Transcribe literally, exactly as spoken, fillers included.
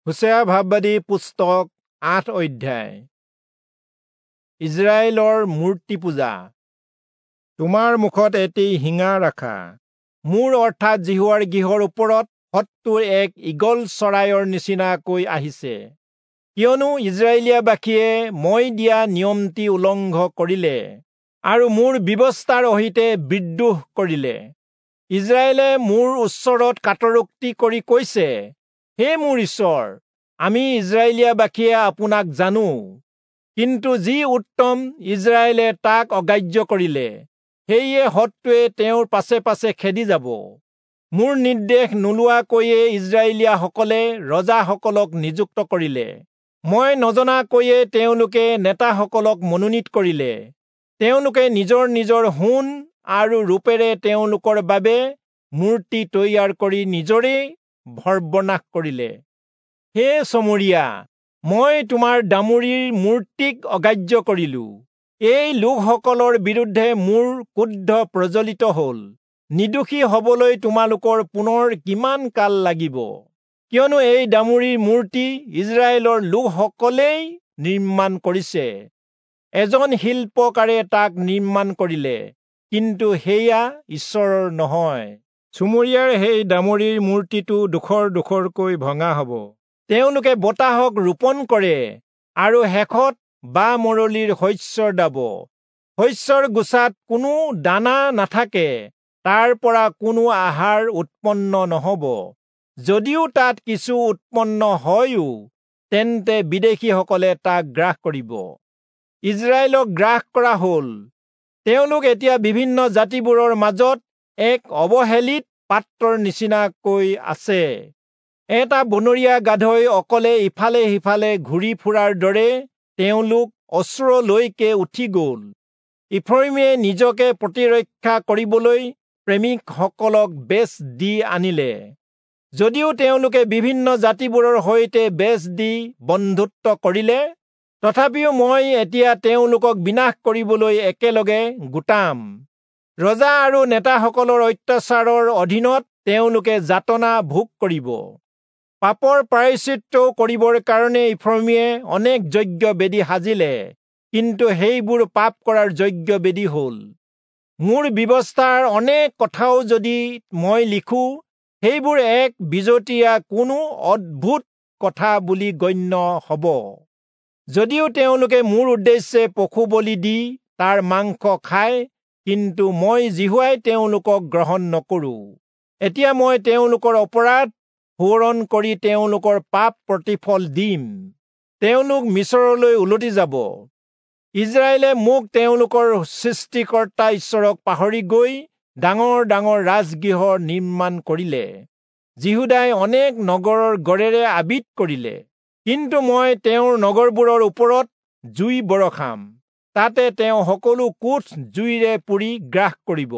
হোচেয়া ভাববাদী পুস্তক আঠ অধ্যায়। ইজৰাইলৰ মূৰ্তি পূজা। তোমাৰ মুখত এটি শিঙা ৰাখা। মোৰ অৰ্থাৎ যিহোৱাৰ গৃহৰ ওপৰত শত্ৰু এক ঈগল চৰাইৰ নিচিনাকৈ আহিছে, কিয়নো ইজৰাইলীয়াবাসীয়ে মই দিয়া নিয়মটি উলংঘ কৰিলে আৰু মোৰ ব্যৱস্থাৰ অহিতে বিদ্ৰোহ কৰিলে। ইজৰাইলে মোৰ ওচৰত কাতৰোক্তি কৰি কৈছে, হে মোৰ ঈশ্বৰ, আমি ইজৰাইলীয়াবাসীয়ে আপোনাক জানো, কিন্তু যি উত্তম ইজৰাইলে তাক অগ্ৰাহ্য কৰিলে, সেয়ে শত্ৰুৱে তেওঁৰ পাছে পাছে খেদি যাব। মোৰ নিৰ্দেশ নোলোৱাকৈয়ে ইজৰাইলীয়াসকলে ৰজাসকলক নিযুক্ত কৰিলে, মই নজনাকৈয়ে তেওঁলোকে নেতাসকলক মনোনীত কৰিলে। তেওঁলোকে নিজৰ নিজৰ সোণ আৰু ৰূপেৰে তেওঁলোকৰ বাবে মূৰ্তি তৈয়াৰ কৰি নিজৰেই সৰ্বনাশ কৰিলে। হে চমৰীয়া, মই তোমাৰ দামুৰিৰ মূৰ্তিক অগ্ৰাহ্য কৰিলো। এই লোকসকলৰ বিৰুদ্ধে মোৰ ক্ৰোধ প্ৰজ্বলিত হল। নিৰ্দোষী হবলৈ তোমালোকৰ পুনৰ কিমান কাল লাগিব? কিয়নো এই দামুৰিৰ মূৰ্তি ইজৰাইলৰ লোকসকলেই নিৰ্মাণ কৰিছে। এজন শিল্পকাৰে তাক নিৰ্মাণ কৰিলে, কিন্তু সেয়া ঈশ্বৰৰ নহয়। চুমৰীয়াৰ সেই দামুৰিৰ মূৰ্তিটো ডোখৰ ডোখৰকৈ ভঙা হব। তেওঁলোকে বতাহক ৰোপণ কৰে আৰু শেষত বা মৰলিৰ শস্যৰ দাব। শস্যৰ গোছাত কোনো দানা নাথাকে, তাৰ পৰা কোনো আহাৰ উৎপন্ন নহব। যদিও তাত কিছু উৎপন্ন হয়ও, তেন্তে বিদেশীসকলে তাক গ্ৰাস কৰিব। ইজৰাইলক গ্ৰাস কৰা হল। তেওঁলোক এতিয়া বিভিন্ন জাতিবোৰৰ মাজত এক অৱহেলিত পাত্ৰৰ নিচিনাকৈ আছে। এটা বনৰীয়া গাধই অকলে ইফালে সিফালে ঘূৰি ফুৰাৰ দৰে তেওঁলোক অচূৰলৈকে উঠি গল। ইফ্ৰয়িমে নিজকে প্ৰতিৰক্ষা কৰিবলৈ প্ৰেমিকসকলক বেচ দি আনিলে। যদিও তেওঁলোকে বিভিন্ন জাতিবোৰৰ সৈতে বেচ দি বন্ধুত্ব কৰিলে, তথাপিও মই এতিয়া তেওঁলোকক বিনাশ কৰিবলৈ একেলগে গোটাম। ৰজা আৰু নেতাসকলৰ অত্যাচাৰৰ অধীনত তেওঁলোকে যাতনা ভোগ কৰিব। পাপৰ প্ৰায়শ্চিত্ত কৰিবৰ কাৰণে ইফ্ৰয়িমে অনেক যজ্ঞ বেদী সাজিলে, কিন্তু সেইবোৰ পাপ কৰাৰ যজ্ঞ বেদী হল। মোৰ ব্যৱস্থাৰ অনেক কথাও যদি মই লিখো, সেইবোৰ এক বিজতীয়া কোনো অদ্ভুত কথা বুলি গণ্য হব। যদিও তেওঁলোকে মোৰ উদ্দেশ্যে পশু বলি দি তাৰ মাংস খায়, কিন্তু মই যিহোৱাই তেওঁলোকক গ্ৰহণ নকৰো। এতিয়া মই তেওঁলোকৰ অপৰাধ সোঁৱৰণ কৰি তেওঁলোকৰ পাপ প্ৰতিফল দিম। তেওঁলোক মিচৰলৈ উলটি যাব। ইজৰাইলে মোক তেওঁলোকৰ সৃষ্টিকৰ্তা ঈশ্বৰক পাহৰি গৈ ডাঙৰ ডাঙৰ ৰাজগৃহ নিৰ্মাণ কৰিলে। যিহূদাই অনেক নগৰৰ গড়েৰে আবিত কৰিলে, কিন্তু মই তেওঁৰ নগৰবোৰৰ ওপৰত জুই বৰষাম, তাতে তেওঁ সকলো কোঠ জুইৰে পুৰি গ্ৰাস কৰিব।